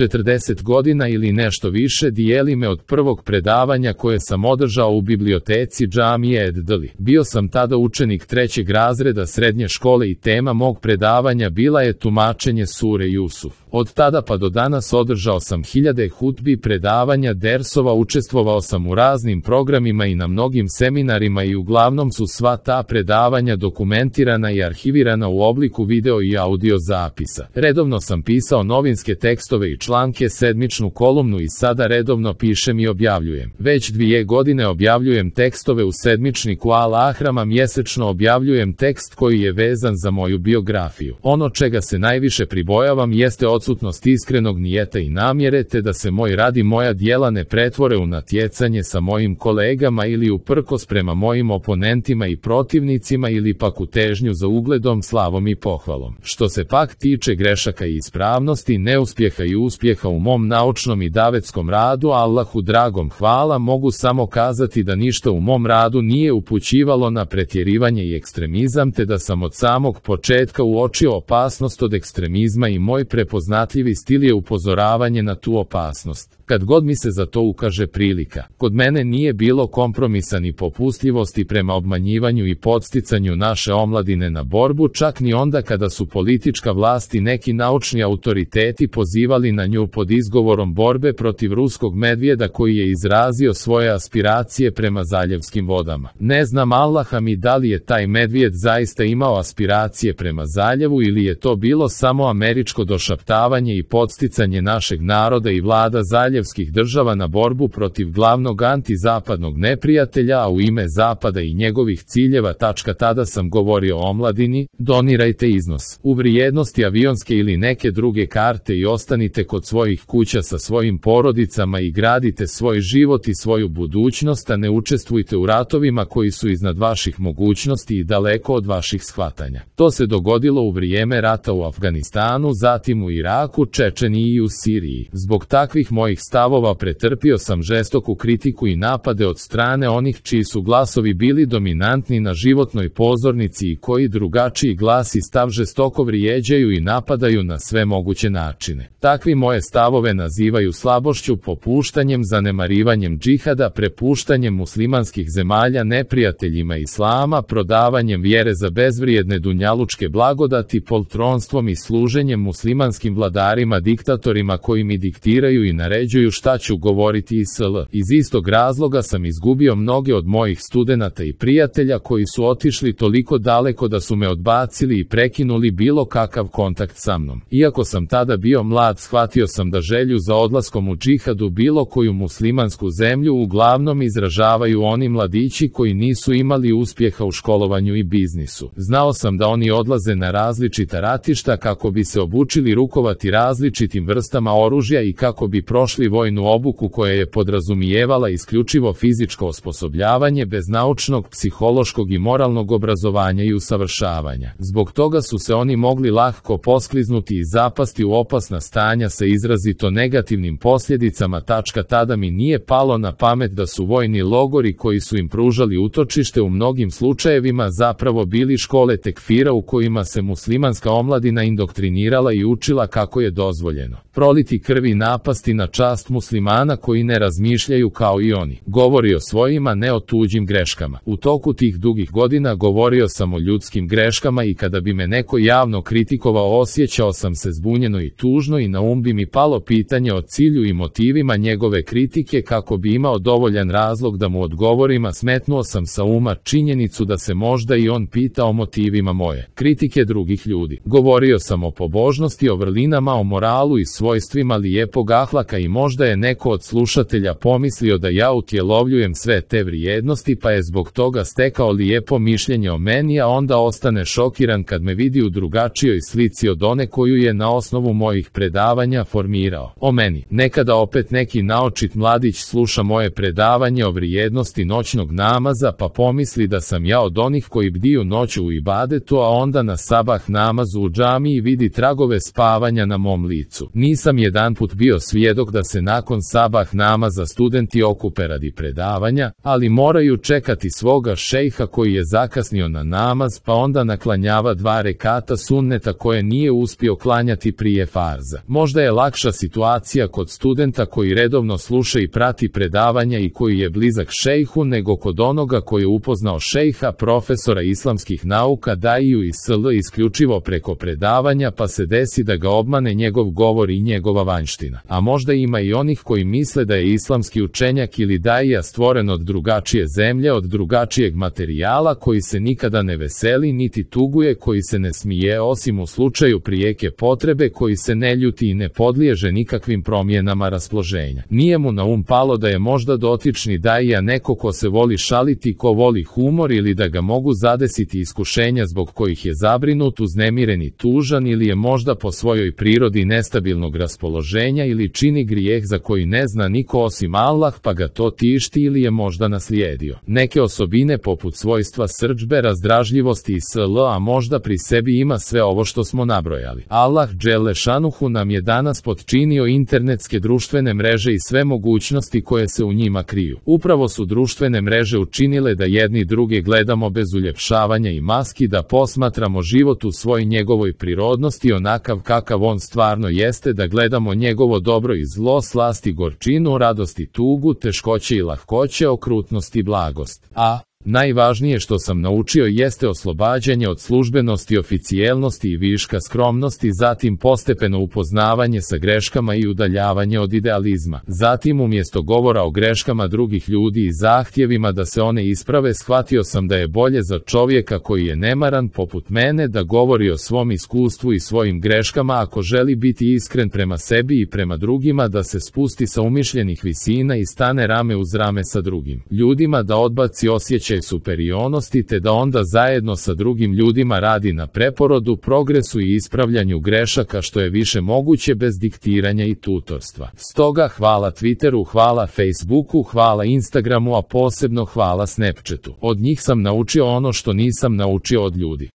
40 godina ili nešto više dijeli me od prvog predavanja koje sam održao u biblioteci džamije Eddali. Bio sam tada učenik 3. razreda srednje škole i tema mog predavanja bila je tumačenje sure Jusuf. Od tada pa do danas održao sam hiljade hutbi, predavanja, dersova, učestvovao sam u raznim programima i na mnogim seminarima i uglavnom su sva ta predavanja dokumentirana i arhivirana u obliku video i audio zapisa. Redovno sam pisao novinske tekstove i članke, sedmičnu kolumnu i sada redovno pišem i objavljujem. Već 2 godine objavljujem tekstove u sedmičniku Al-Ahrama, mjesečno objavljujem tekst koji je vezan za moju biografiju. Ono čega se najviše pribojavam jeste odsutnost iskrenog nijeta i namjere, te da se moj rad i moja djela ne pretvore u natjecanje sa mojim kolegama ili uprkos prema mojim oponentima i protivnicima ili pak u težnju za ugledom, slavom i pohvalom. Što se pak tiče grešaka i ispravnosti, neuspjeha i uspjeha u mom naučnom i davetskom radu, Allahu dragom hvala, mogu samo kazati da ništa u mom radu nije upućivalo na pretjerivanje i ekstremizam, te da sam od samog početka uočio opasnost od ekstremizma i moj prepoznatljivi stil je upozoravanje na tu opasnost. Kad god mi se za to ukaže prilika, kod mene nije bilo kompromisa ni popustljivosti prema obmanjivanju i podsticanju naše omladine na borbu, čak ni onda kada su politička vlast i neki naučni autoriteti pozivali na nju pod izgovorom borbe protiv ruskog medvjeda koji je izrazio svoje aspiracije prema zaljevskim vodama. Ne znam, Allaha mi, da li je taj medvjed zaista imao aspiracije prema zaljevu ili je to bilo samo američko došaptavanje i podsticanje našeg naroda i vlada zaljevskih država na borbu protiv glavnog antizapadnog neprijatelja, a u ime Zapada i njegovih ciljeva. Tada sam govorio o omladini: donirajte iznos u vrijednosti avionske ili neke druge karte i ostanite kod svojih kuća sa svojim porodicama i gradite svoj život i svoju budućnost, a ne učestvujte u ratovima koji su iznad vaših mogućnosti i daleko od vaših shvatanja. To se dogodilo u vrijeme rata u Afganistanu, zatim u Iraku, Čečeniji i u Siriji. Zbog takvih mojih stavova pretrpio sam žestoku kritiku i napade od strane onih čiji su glasovi bili dominantni na životnoj pozornici i koji drugačiji glas i stav žestoko vrijeđaju i napadaju na sve moguće načine. Takvi moje stavove nazivaju slabošću, popuštanjem, zanemarivanjem džihada, prepuštanjem muslimanskih zemalja neprijateljima islama, prodavanjem vjere za bezvrijedne dunjalučke blagodati, poltronstvom i služenjem muslimanskim vladarima, diktatorima koji mi diktiraju i naređuju šta ću govoriti i sl. Iz istog razloga sam izgubio mnoge od mojih studenata i prijatelja koji su otišli toliko daleko da su me odbacili i prekinuli bilo kakav kontakt sa mnom. Iako sam tada bio mlad, shvatio sam da želju za odlaskom u džihad u bilo koju muslimansku zemlju uglavnom izražavaju oni mladići koji nisu imali uspjeha u školovanju i biznisu. Znao sam da oni odlaze na različita ratišta kako bi se obučili rukovati različitim vrstama oružja i kako bi prošli vojnu obuku koja je podrazumijevala isključivo fizičko osposobljavanje bez naučnog, psihološkog i moralnog obrazovanja i usavršavanja. Zbog toga su se oni mogli lahko poskliznuti i zapasti u opasna stanja sa izrazito negativnim posljedicama. Tada mi nije palo na pamet da su vojni logori koji su im pružali utočište u mnogim slučajevima zapravo bili škole tekfira u kojima se muslimanska omladina indoktrinirala i učila kako je dozvoljeno proliti krv i napasti na čast muslimana koji ne razmišljaju kao i oni. Govori o svojima, ne o tuđim greškama. U toku tih dugih godina govorio sam o ljudskim greškama i kada bi me neko javno kritikovao osjećao sam se zbunjeno i tužno i na um bi mi palo pitanje o cilju i motivima njegove kritike kako bi imao dovoljan razlog da mu odgovorim, a smetnuo sam sa uma činjenicu da se možda i on pita o motivima moje kritike drugih ljudi. Govorio sam o pobožnosti, o vrlinama, o moralu i svojstvima lijepog ahlaka i možda je neko od slušatelja pomislio da ja utjelovljujem sve te vrijednosti pa je zbog toga stekao lijepo mišljenje o meni, a onda ostane šokiran kad me vidi u drugačijoj slici od one koju je na osnovu mojih predavanja formirao o meni. Nekada opet neki naočit mladić sluša moje predavanje o vrijednosti noćnog namaza pa pomisli da sam ja od onih koji bdiju noću u ibadetu, a onda na sabah namazu u džamiji vidi tragove spavanja na mom licu. Nisam jedanput bio svjedok da se nakon sabah namaza studenti okupe radi predavanja, ali moraju čekati svoga šejha koji je zakasnio na namaz pa onda naklanjava 2 rekata sunneta koje nije uspio klanjati prije farza. Možda je lakša situacija kod studenta koji redovno sluša i prati predavanja i koji je blizak šejhu nego kod onoga koji je upoznao šejha, profesora islamskih nauka, daiju i sl. Isključivo preko predavanja pa se desi da ga obmane njegov govor i njegova vanjština. A možda ima i onih koji misle da je islamski učenjak ili daija stvoren od drugačije zemlje, od drugačijeg materijala, koji se nikada ne veseli niti tuguje, koji se ne smije osim u slučaju prijeke potrebe, koji se ne ljuti i ne podliježe nikakvim promjenama raspoloženja. Nije mu na palo da je možda dotični daija neko ko se voli šaliti, ko voli humor ili da ga mogu zadesiti iskušenja zbog kojih je zabrinut, uznemiren i tužan ili je možda po svojoj prirodi nestabilnog raspoloženja ili čini grijeh za koji ne zna niko osim Allah pa ga to tišti ili je možda naslijedio neke osobine poput svojstva srdžbe, razdražljivosti i sl. A možda pri sebi ima sve ovo što smo nabrojali. Allah dželle šanuhu nam je danas potčinio internetske društvene mreže i sve mogućnosti koje se u njima kriju. Upravo su društvene mreže učinile da jedni druge gledamo bez uljepšavanja i maski, da posmatramo život u svoj njegovoj prirodnosti onakav kakav on stvarno jeste, da gledamo njegovo dobro i zlo, slast i gorčinu, radost i tugu, teškoće i lahkoće, okrutnost i blagost. A najvažnije što sam naučio jeste oslobađanje od službenosti, oficijelnosti i viška skromnosti, zatim postepeno upoznavanje sa greškama i udaljavanje od idealizma. Zatim umjesto govora o greškama drugih ljudi i zahtjevima da se one isprave, shvatio sam da je bolje za čovjeka koji je nemaran poput mene da govori o svom iskustvu i svojim greškama ako želi biti iskren prema sebi i prema drugima, da se spusti sa umišljenih visina i stane rame uz rame sa drugim ljudima, da odbaci osjećaj superiornosti te da onda zajedno sa drugim ljudima radi na preporodu, progresu i ispravljanju grešaka što je više moguće bez diktiranja i tutorstva. Stoga hvala Twitteru, hvala Facebooku, hvala Instagramu, a posebno hvala Snapchatu. Od njih sam naučio ono što nisam naučio od ljudi.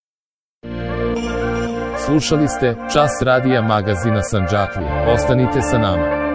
Slušali ste Čas radija magazina Sandžaklija. Ostanite sa nama.